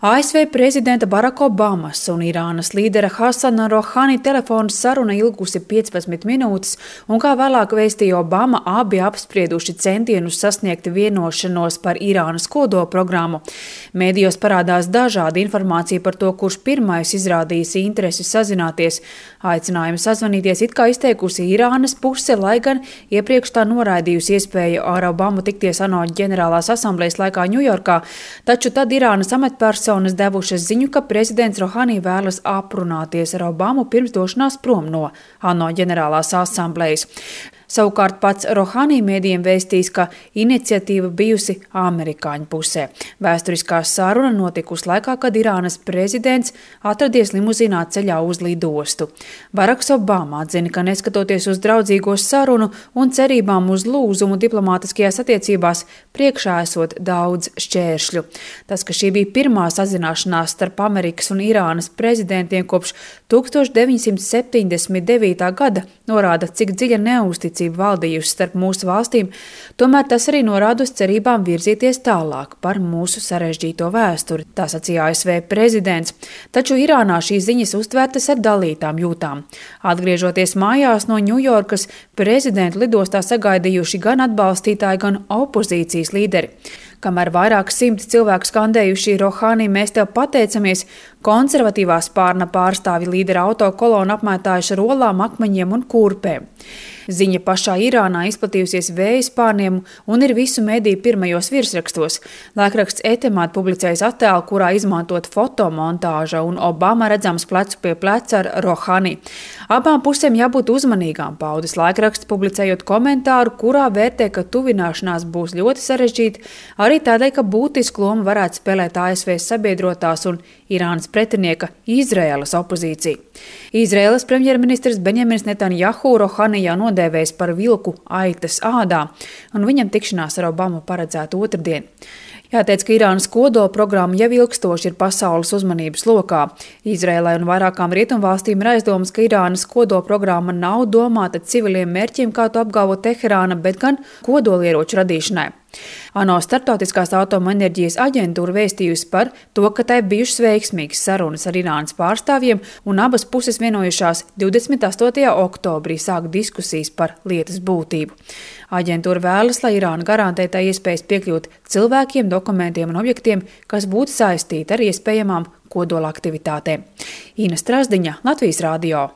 ASV prezidenta Baraka Obamas un Irānas līdera Hasana Rohani telefona saruna ilgusi 15 minūtes, un kā vēlāk vēstīja Obama, abi apsprieduši centienus sasniegt vienošanos par Irānas kodolprogrammu. Mēdījos parādās dažāda informācija par to, kurš pirmais izrādījis interesi sazināties. Aicinājumu sazvanīties it kā izteikusi Irānas puse, lai gan iepriekš tā noraidījusi iespēju ar Obamu tikties ANO ģenerālās asamblejas laikā Ņujorkā, taču tad Irānas amatpersonas devušas ziņu, ka prezidents Rohani vēlas aprunāties ar Obamu pirms došanās prom no ANO ģenerālās asamblejas. Savukārt pats Rohani mēdījiem vēstīs, ka iniciatīva bijusi amerikāņu pusē. Vēsturiskā saruna notikusi laikā, kad Irānas prezidents atradies limuzīnā ceļā uz lidostu. Baraks Obama atzina, ka neskatoties uz draudzīgo sarunu un cerībām uz lūzumu diplomātiskajās attiecībās, priekšā esot daudz šķēršļu. Tas, ka šī bija pirmā sazināšanās starp Amerikas un Irānas prezidentiem kopš 1979. gada, norāda, cik dziļa neusticība valdījusi starp mūsu valstīm, tomēr tas arī norāda uz cerībām virzīties tālāk par mūsu sarežģīto vēsturi, tā sacīja ASV prezidents. Taču Irānā šīs ziņas uztvērtas ar dalītām jūtām. Atgriežoties mājās no Ņujorkas, prezidentu lidostā sagaidījuši gan atbalstītāji, gan opozīcijas līderi. Kamēr vairāk simti cilvēku skandējuši Rohani, mēs tev pateicamies, konservatīvā spārna pārstāvi līdera autokolonu apmētājuši ar olām, akmeņiem un kurpēm. Ziņa pašā Irānā izplatījusies vēja spārniem un ir visu mediju pirmajos virsrakstos. Laikraksts Etemād publicējis attēlu, kurā izmantot fotomontāža un Obama redzams plecu pie pleca ar Rohani. Abām pusēm jābūt uzmanīgām, paudis laikraksts, publicējot komentāru, kurā vērtē, ka tuvināšanās būs ļoti sarežģīta, arī tādēļ, ka būtisku lomu varētu spēlēt ASV sabiedrotās un Irānas pretinieka Izraēlas opozīcija. Izraēlas premjerministrs Benjamins Netanjahu Rohani jau nodēvējis par vilku aitas ādā, un viņam tikšanās ar Obamu paredzēta otrdien. Jāteic, ka Irānas kodolprogramma jau ilgstoši ir pasaules uzmanības lokā. Izraēlai un vairākām rietumvalstīm ir aizdomas, ka Irānas kodolprogramma nav domāta civiliem mērķiem, kā to apgalvo Teherāna, bet gan kodolieroču radīšanai. ANO Startautiskās atomenerģijas aģentūra vēstījusi par to, ka tai bijušas veiksmīgas sarunas ar Irānas pārstāvjiem, un abas puses vienojušās 28. oktobrī sākt diskusijas par lietas būtību. Aģentūra vēlas, lai Irāna garantē tai iespējas piekļūt cilvēkiem, dokumentiem un objektiem, kas būtu saistīti ar iespējamām kodola aktivitātēm. Ina Strasdiņa, Latvijas radio.